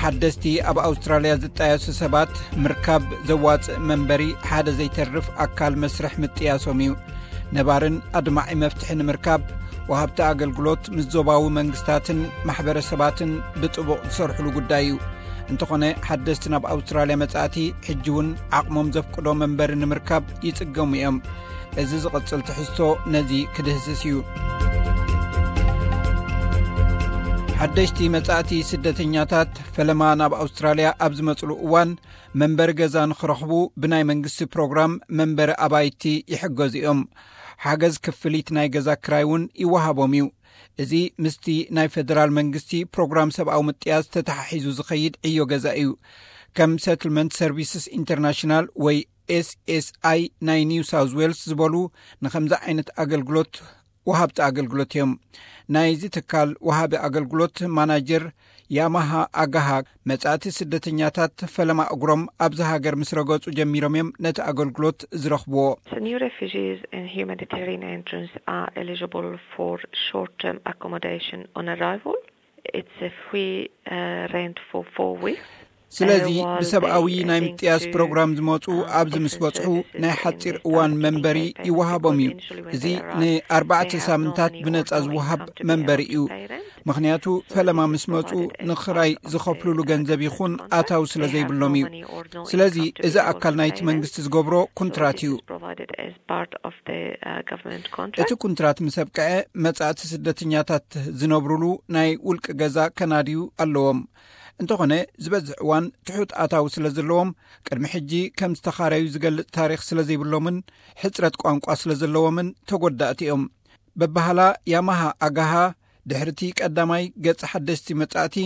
ሓደስቲ ኣብ ኣውስትራልያ ዝጣየሱ ሰባት ምርካብ ዘዋጽእ መንበሪ ሓደ ዘይተርፍ ኣካል መስርሕ ምጥያሶም እዩ። ነባርን ኣድማዒ መፍትሒ ንምርካብ ወሃብቲ ኣገልግሎት ምስ ዞባዊ መንግስታትን ማሕበረሰባትን ብጥቡቕ ዝሰርሕሉ ጉዳይ እዩ። እንተኾነ ሓደስቲ ናብ ኣውስትራልያ መጻእቲ ሕጂ እውን ዓቕሞም ዘፍቅዶ መንበሪ ንምርካብ ይጽገሙ እዮም። እዚ ዝቕጽል ትሕዝቶ ነዚ ክድህስስ እዩ። ሓደሽቲ መጻእቲ ስደተኛታት ፈለማ ናብ ኣውስትራልያ ኣብ ዝመጽሉ እዋን መንበሪ ገዛ ንኽረኽቡ ብናይ መንግስቲ ፕሮግራም መንበሪ ኣባይቲ ይሕገዙ እዮም። ሓገዝ ክፍሊት ናይ ገዛ ክራይ እውን ይወሃቦም እዩ። እዚ ምስቲ ናይ ፌደራል መንግስቲ ፕሮግራም ሰብኣዊ ምጥያስ ተተሓሒዙ ዝኸይድ ዕዮ ገዛ እዩ። ከም ሰትልመንት ሰርቪስስ ኢንተርናሽናል ወይ ኤስኤስኣይ ናይ ኒው ሳውዝ ዌልስ ዝበሉ ንኸምዚ ዓይነት ኣገልግሎት ወሃብቲ ኣገልግሎት እዮም። ናይዚ ትካል ወሃቢ ኣገልግሎት ማናጀር ያማሃ ኣጋሃ፣ መጻእቲ ስደተኛታት ፈለማ እግሮም ኣብዚ ሃገር ምስ ረገጹ ጀሚሮም እዮም ነቲ ኣገልግሎት ዝረኽብዎ። So new refugees and humanitarian entrants are eligible for short-term accommodation on arrival. It's a free uh, rent for four weeks. ስለዚ ብሰብኣዊ ናይ ምጥያስ ፕሮግራም ዝመፁ ኣብዚ ምስ በፅሑ ናይ ሓፂር እዋን መንበሪ ይወሃቦም እዩ። እዚ ንኣርባዕተ ሳምንታት ብነፃ ዝወሃብ መንበሪ እዩ። ምኽንያቱ ፈለማ ምስ መፁ ንኽራይ ዝኸፍሉሉ ገንዘብ ይኹን ኣታዊ ስለ ዘይብሎም እዩ። ስለዚ እዚ ኣካል ናይቲ መንግስቲ ዝገብሮ ኩንትራት እዩ። እቲ ኩንትራት ምስ ኣብቅዐ መጻእቲ ስደተኛታት ዝነብሩሉ ናይ ውልቂ ገዛ ከናድዩ ኣለዎም። እንተኾነ ዝበዝሕ እዋን ትሑት ኣታዊ ስለ ዘለዎም ቅድሚ ሕጂ ከም ዝተኻረዩ ዝገልጽ ታሪኽ ስለ ዘይብሎምን ሕጽረት ቋንቋ ስለ ዘለዎምን ተጎዳእቲ እዮም። በባህላ ያማሃ ኣጋሃ ድሕርቲ ቀዳማይ ገጽ ሓደስቲ መጻእቲ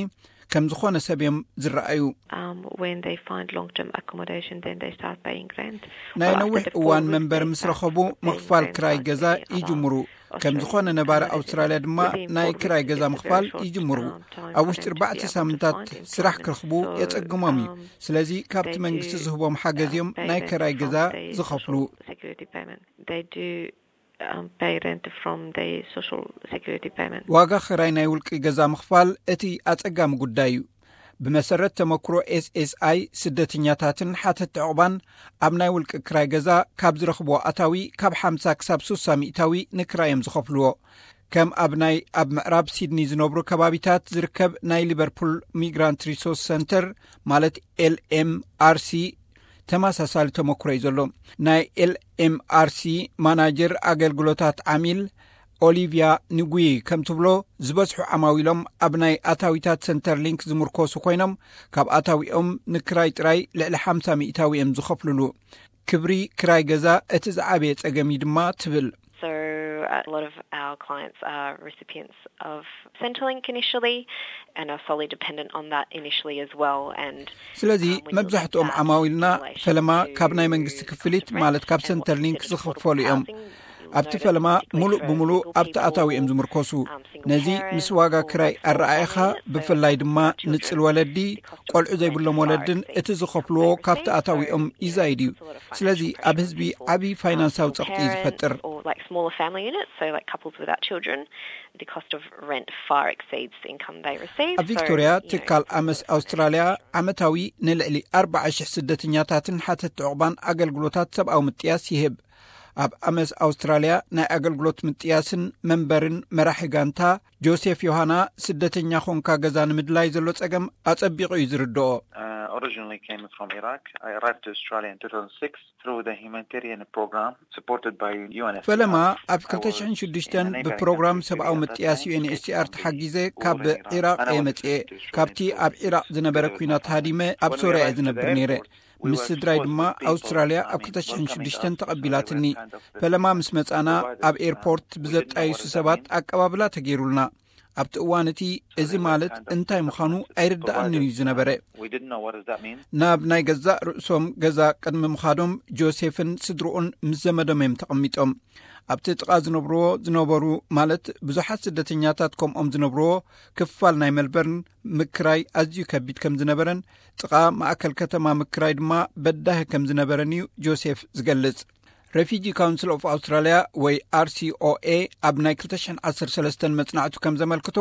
ከም ዝኾነ ሰብ እዮም ዝረኣዩ። Um, when they find long-term accommodation, then they start paying rent. ናይ ነዊሕ እዋን መንበሪ ምስ ረኸቡ ምኽፋል ክራይ ገዛ ይጅምሩ። ከም ዝኾነ ነባሪ ኣውስትራልያ ድማ ናይ ክራይ ገዛ ምኽፋል ይጅምሩ። ኣብ ውሽጢ ኣርባዕተ ሳምንታት ስራሕ ክረኽቡ የጸግሞም እዩ። ስለዚ ካብቲ መንግስቲ ዝህቦም ሓገዝ እዮም ናይ ክራይ ገዛ ዝኸፍሉ። They do um, pay rent from the social security payment. ዋጋ ክራይ ናይ ውልቂ ገዛ ምኽፋል እቲ ኣጸጋሚ ጉዳይ እዩ። ብመሰረት ተመክሮ ኤስኤስኣይ ስደተኛታትን ሓተቲ ዕቑባን ኣብ ናይ ውልቂ ክራይ ገዛ ካብ ዝረኽብዎ ኣታዊ ካብ ሓምሳ ክሳብ ስሳ ሚእታዊ ንክራይ እዮም ዝኸፍልዎ። ከም ኣብ ናይ ኣብ ምዕራብ ሲድኒ ዝነብሩ ከባቢታት ዝርከብ ናይ ሊቨርፑል ሚግራንት ሪሶርስ ሰንተር ማለት ኤልኤምኣርሲ ተመሳሳሊ ተመክሮ እዩ ዘሎ። ናይ ኤልኤምኣርሲ ማናጀር ኣገልግሎታት ዓሚል ኦሊቪያ ንጉይ ከም ትብሎ ዝበዝሑ ዓማዊሎም ኣብ ናይ ኣታዊታት ሰንተር ሊንክ ዝምርኮሱ ኮይኖም ካብ ኣታዊኦም ንክራይ ጥራይ ልዕሊ ሓምሳ ሚእታዊ እዮም ዝኸፍልሉ። ክብሪ ክራይ ገዛ እቲ ዝዓበየ ጸገም እዩ ድማ ትብል። So a lot of our clients are recipients of Centrelink initially and are solely dependent on that initially as well. And ስለዚ መብዛሕትኦም ዓማዊልና ፈለማ ካብ ናይ መንግስቲ ክፍሊት ማለት ካብ ሰንተር ሊንክ ዝኸፈሉ እዮም። ኣብቲ ፈለማ ሙሉእ ብምሉእ ኣብቲ ኣታዊ እዮም ዝምርኮሱ። ነዚ ምስ ዋጋ ክራይ ኣረኣእኻ ብፍላይ ድማ ንጽል ወለዲ ቆልዑ ዘይብሎም ወለድን እቲ ዝኸፍልዎ ካብቲ ኣታዊኦም ይዛይድ እዩ። ስለዚ ኣብ ህዝቢ ዓቢ ፋይናንሳዊ ጸቕጢ እዩ ዝፈጥር። Or like smaller family units, so like couples without children, the cost of rent far exceeds the income they receive. ኣብ ቪክቶርያ ትካል ኣመስ ኣውስትራልያ ዓመታዊ ንልዕሊ ኣርባዓ ሽሕ ስደተኛታትን ሓተቲ ዕቑባን ኣገልግሎታት ሰብኣዊ ምጥያስ ይህብ። ኣብ ኣመስ ኣውስትራልያ ናይ ኣገልግሎት ምጥያስን መንበርን መራሒ ጋንታ ጆሴፍ ዮሃና ስደተኛ ኾንካ ገዛ ንምድላይ ዘሎ ጸገም ኣጸቢቑ እዩ ዝርድኦ። Uh, originally came from Iraq. I arrived to Australia in two thousand six through the humanitarian program supported by U N F C R. ፈለማ ኣብ ክልተ ሽሕን ሽዱሽተን ብፕሮግራም ሰብኣዊ ምጥያስ ዩኤንኤችሲኣር ተሓጊዘ ካብ ኢራቅ እየ መጽኤ። ካብቲ ኣብ ኢራቅ ዝነበረ ኲናት ሃዲመ ኣብ ሶርያ እየ ዝነብር ነይረ። ምስ ስድራይ ድማ ኣውስትራልያ ኣብ ክልተ ሽሕን ሽዱሽተን ተቐቢላትኒ። ፈለማ ምስ መጻና ኣብ ኤርፖርት ብዘጣይሱ ሰባት ኣቀባብላ ተገይሩልና። ኣብቲ እዋን እቲ እዚ ማለት እንታይ ምዃኑ ኣይርድኣንን እዩ ዝነበረ። ናብ ናይ ገዛእ ርእሶም ገዛ ቅድሚ ምኻዶም ጆሴፍን ስድርኡን ምስ ዘመዶም እዮም ተቐሚጦም። ኣብቲ ጥቓ ዝነብርዎ ዝነበሩ ማለት ብዙሓት ስደተኛታት ከምኦም ዝነብርዎ ክፋል ናይ መልበርን ምክራይ ኣዝዩ ከቢድ ከም ዝነበረን ጥቓ ማእከል ከተማ ምክራይ ድማ በዳሂ ከም ዝነበረን እዩ ጆሴፍ ዝገልጽ። Refugee Council of Australia ወይ R C O A ኣብ ናይ ክልተ ሽሕን ዓሰርተ ሰለስተን መጽናዕቱ ከም ዘመልክቶ፣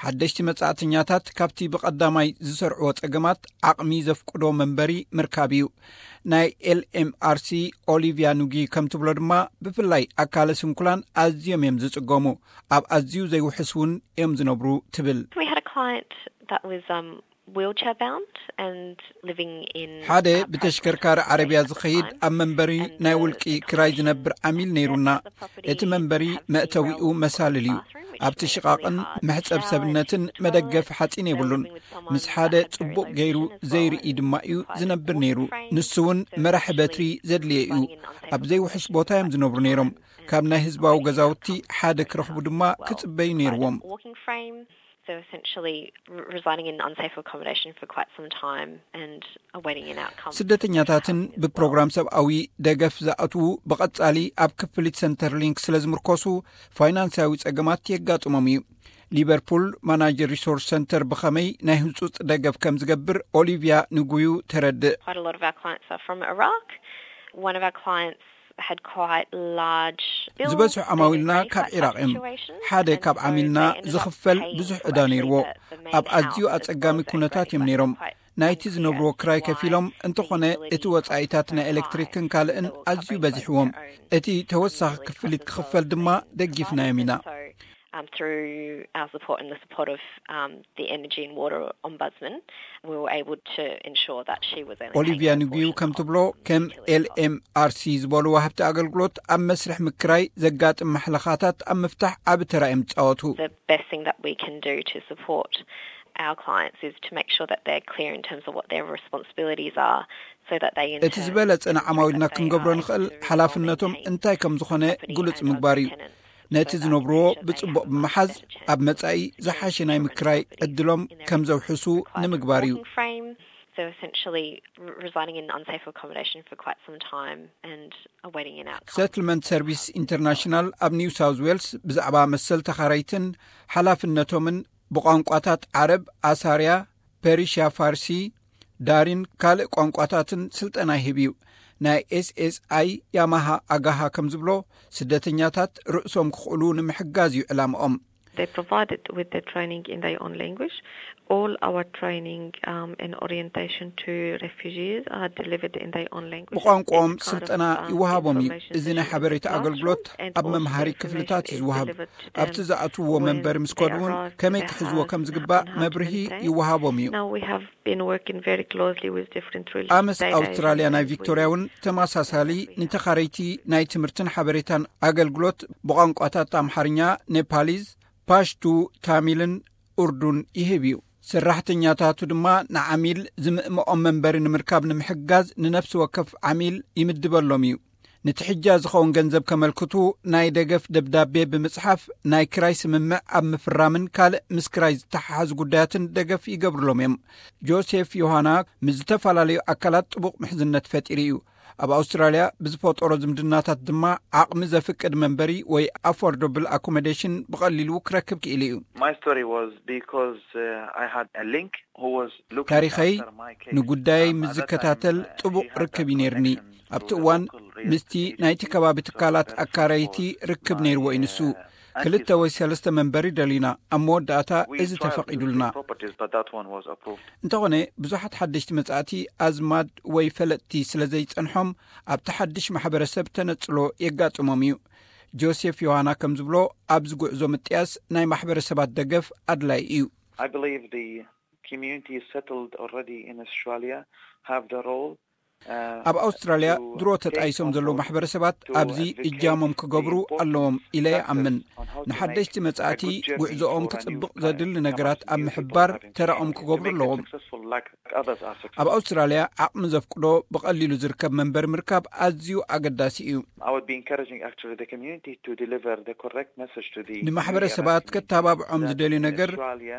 ሓደሽቲ መጻእተኛታት ካብቲ ብቐዳማይ ዝሰርዕዎ ጸገማት ዓቕሚ ዘፍቅዶ መንበሪ ምርካብ እዩ። ናይ L M R C ኦሊቪያ ኑጊ ከም ትብሎ ድማ፣ ብፍላይ ኣካለ ስንኩላን ኣዝዮም እዮም ዝጽገሙ። ኣብ ኣዝዩ ዘይውሕስ እውን እዮም ዝነብሩ ትብል። We had a client that was um, wheelchair bound and living in ሓደ ብተሽከርካሪ ዓረብያ ዝኸይድ ኣብ መንበሪ ናይ ውልቂ ክራይ ዝነብር ዓሚል ነይሩና። እቲ መንበሪ መእተዊኡ መሳልል እዩ። ኣብቲ ሽቓቕን መሕጸብ ሰብነትን መደገፊ ሓጺን የብሉን። ምስ ሓደ ጽቡቕ ገይሩ ዘይርኢ ድማ እዩ ዝነብር ነይሩ። ንሱ እውን መራሒ በትሪ ዘድልየ እዩ። ኣብ ዘይውሕስ ቦታ እዮም ዝነብሩ ነይሮም። ካብ ናይ ህዝባዊ ገዛውቲ ሓደ ክረኽቡ ድማ ክጽበዩ ነይርዎም። So essentially residing in unsafe accommodation for quite some time and awaiting an outcome. ስደተኛታትን ብፕሮግራም ሰብኣዊ ደገፍ ዝኣትዉ ብቐጻሊ ኣብ ክፍሊት ሰንተር ሊንክ ስለ ዝምርኮሱ፣ ፋይናንሳዊ ጸገማት የጋጥሞም እዩ። ሊቨርፑል ማናጀር ሪሶርስ ሰንተር ብኸመይ ናይ ህጹጽ ደገፍ ከም ዝገብር ኦሊቪያ ንጉዩ ተረድእ። Quite a lot of our clients are from Iraq. One of our clients had quite large bills. ዝበዝሑ ዓማዊልና ካብ ዒራቕ እዮም። ሓደ ካብ ዓሚልና ዝኽፈል ብዙሕ ዕዳ ነይርዎ። ኣብ ኣዝዩ ኣጸጋሚ ኩነታት እዮም ነይሮም። ናይቲ ዝነብርዎ ክራይ ከፊሎም፣ እንተኾነ እቲ ወጻኢታት ናይ ኤሌክትሪክን ካልእን ኣዝዩ በዚሕዎም። እቲ ተወሳኺ ክፍሊት ክኽፈል ድማ ደጊፍናዮም ኢና። Um, through our support and the support of um, the Energy and Water Ombudsman, we were able to ensure that she was only ኦሊቪያ paying a ንጉዩ portion ከም of ትብሎ፣ the ከም utilities cost. L M R C ዝበሉ ወሃብቲ ኣገልግሎት ኣብ መስርሕ ምክራይ ዘጋጥም ማሕለኻታት ኣብ ምፍታሕ ዓቢ ተራ እዮም ዝጻወቱ። The best thing that we can do to support our clients is to make sure that they're clear in terms of what their responsibilities are, so that they in እቲ ዝበለጸ ንዓማዊልና ክንገብሮ ንኽእል፣ ሓላፍነቶም እንታይ ከም ዝኾነ ግሉጽ ምግባር እዩ። ነቲ ዝነብርዎ ብጽቡቕ ብምሓዝ፣ ኣብ መጻኢ ዝሓሸ ናይ ምክራይ ዕድሎም ከም ዘውሕሱ ንምግባር እዩ። So essentially residing in unsafe accommodation for quite some time and awaiting an outcome. Settlement Service International ኣብ ኒው ሳውዝ ዌልስ ብዛዕባ መሰል ተኻረይትን ሓላፍነቶምን ብቋንቋታት ዓረብ፣ ኣሳርያ፣ ፐርሽያ፣ ፋርሲ፣ ዳሪን ካልእ ቋንቋታትን ስልጠና ይህብ እዩ። ናይ S S I ያማሃ ኣጋሃ ከም ዝብሎ፣ ስደተኛታት ርእሶም ክኽእሉ ንምሕጋዝ እዩ ዕላምኦም። They provided with the training in their own language. All our training um, and orientation to refugees are delivered in their own language. ብቋንቋኦም ስልጠና ይወሃቦም እዩ። እዚ ናይ ሓበሬታ ኣገልግሎት ኣብ መምሃሪ ክፍልታት እዩ ዝወሃብ። ኣብቲ ዝኣትውዎ መንበሪ ምስ ከዱ እውን ከመይ ክሕዝዎ ከም ዝግባእ መብርሂ ይወሃቦም እዩ። Now we have been working very closely with different religious ኣመስ ኣውስትራልያ ናይ ቪክቶርያ እውን ተመሳሳሊ ንተኻረይቲ ናይ ትምህርትን ሓበሬታን ኣገልግሎት ብቋንቋታት ኣምሓርኛ፣ ኔፓሊዝ፣ ፓሽቱ፣ ታሚልን ኡርዱን ይህብ እዩ። ሰራሕተኛታቱ ድማ ንዓሚል ዝምእምኦም መንበሪ ንምርካብ ንምሕጋዝ ንነፍሲ ወከፍ ዓሚል ይምድበሎም እዩ። ንትሕጃ ዝኸውን ገንዘብ ከመልክቱ ናይ ደገፍ ደብዳቤ ብምጽሓፍ ናይ ክራይ ስምምዕ ኣብ ምፍራምን ካልእ ምስ ክራይ ዝተሓሓዙ ጉዳያትን ደገፍ ይገብርሎም እዮም። ጆሴፍ ዮሃና ምስ ዝተፈላለዩ ኣካላት ጥቡቕ ምሕዝነት ፈጢሩ እዩ። ኣብ ኣውስትራልያ ብዝፈጠሮ ዝምድናታት ድማ ዓቕሚ ዘፍቅድ መንበሪ ወይ affordable accommodation ብቐሊሉ ክረክብ ክኢሉ እዩ። My story was because uh, I had a link who was looking ታሪኸይ after my case. ንጉዳይ Um, ምስ at that ዝከታተል time, uh, ጥቡቕ he had a ርክብ እዩ ነይርኒ። connection ኣብቲ to the እዋን local real ምስቲ estate ናይቲ ከባቢ agent. ትካላት So that ኣካረይቲ was ርክብ my, ነይርዎ እዩ ንሱ። uh, ክልተ ወይ ሰለስተ መንበሪ ደሊና፣ ኣብ መወዳእታ We እዚ tried to look ተፈቒዱልና። for properties, but that one was approved. እንተኾነ ብዙሓት ሓደሽቲ መጻእቲ ኣዝማድ ወይ ፈለጥቲ ስለ ዘይጸንሖም ኣብቲ ሓድሽ ማሕበረሰብ ተነጽሎ የጋጥሞም እዩ። ጆሴፍ ዮሃና ከም ዝብሎ ኣብዚ ጉዕዞ ምጥያስ ናይ ማሕበረሰባት ደገፍ ኣድላይ እዩ። I believe the community is settled already in Australia, have the role. Uh, ኣብ ኣውስትራልያ to ድሮ take ተጣይሶም on ዘለዉ board ማሕበረሰባት to ኣብዚ advocate እጃሞም the ክገብሩ importance ኣለዎም ኢለ factors ይኣምን። on how to ንሓደሽቲ make a መጻእቲ good journey ጉዕዞኦም for a new ክጽብቕ client, ዘድሊ how much ነገራት new ኣብ people ምሕባር are in ተራኦም training to ክገብሩ make them ኣለዎም። Successful like others are ኣብ successful. ኣውስትራልያ ዓቕሚ ዘፍቅዶ ብቐሊሉ ዝርከብ መንበሪ ምርካብ ኣዝዩ ኣገዳሲ እዩ። I would be encouraging actually the community to deliver the correct message to the ንማሕበረሰባት ከተባብዖም ዝደልዩ ነገር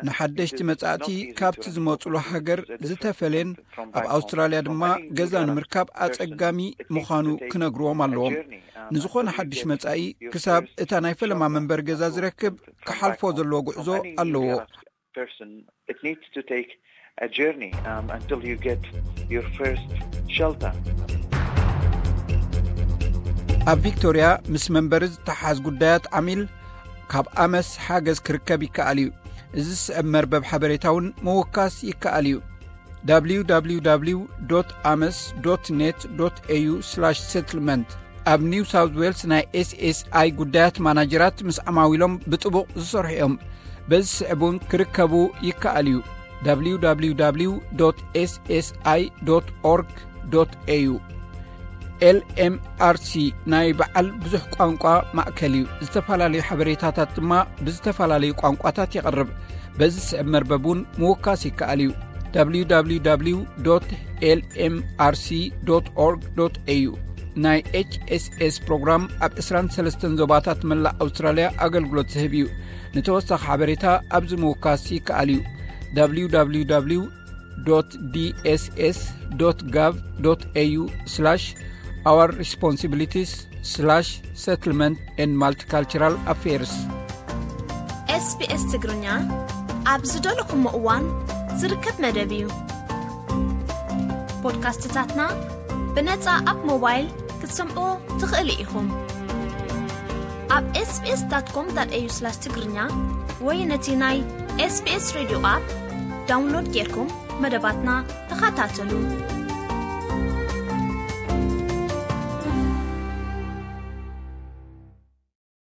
ንሓደሽቲ መጻእቲ ካብቲ ዝመጹሉ ሃገር ዝተፈለየን ኣብ ኣውስትራልያ ድማ ገዛ ንምርካብ ኣጸጋሚ ምዃኑ ክነግርዎም ኣለዎም። ንዝኾነ ሓድሽ መጻኢ ክሳብ እታ ናይ ፈለማ መንበሪ ገዛ ዝረክብ ክሓልፎ ዘለዎ ጉዕዞ ኣለዎ። Person, it needs to take a journey um, until you get your first shelter. ኣብ ቪክቶርያ ምስ መንበሪ ዝተሓዝ ጉዳያት ዓሚል ካብ ኣመስ ሓገዝ ክርከብ ይከኣል እዩ። እዚ ዝስዕብ መርበብ ሓበሬታ እውን ምውካስ ይከኣል እዩ። www ames net au settlement ኣብ ኒው ሳውት ዌልስ ናይ ኤስኤስኣይ ጉዳያት ማናጀራት ምስ ዓማዊሎም ብጥቡቕ ዝሰርሑ እዮም። በዚ ስዕብ እውን ክርከቡ ይከኣል እዩ። www ssi org au lmrc ናይ በዓል ብዙሕ ቋንቋ ማእከል እዩ። ዝተፈላለዩ ሓበሬታታት ድማ ብዝተፈላለዩ ቋንቋታት የቕርብ። በዚ ስዕብ መርበብ እውን ምውካስ ይከኣል እዩ። www lmrc org au ናይ ኤችኤስኤስ ፕሮግራም ኣብ ዕስራን ሰለስተን ዞባታት መላእ ኣውስትራልያ ኣገልግሎት ዝህብ እዩ። ንተወሳኺ ሓበሬታ ኣብዚ ምውካስ ይከኣል እዩ። www dss gov au our responsibilities settlement and multicultural affairs. ኤስቢኤስ ትግርኛ ኣብ ዝደለኹሞ እዋን ዝርከብ መደብ እዩ። ፖድካስትታትና ብነጻ ኣብ ሞባይል ክትሰምዑ ትኽእሉ ኢኹም። ኣብ sbs.com.au/ትግርኛ ወይ ነቲ ናይ ኤስቢኤስ ሬድዮ ኣፕ ዳውንሎድ ጌርኩም መደባትና ተኸታተሉ።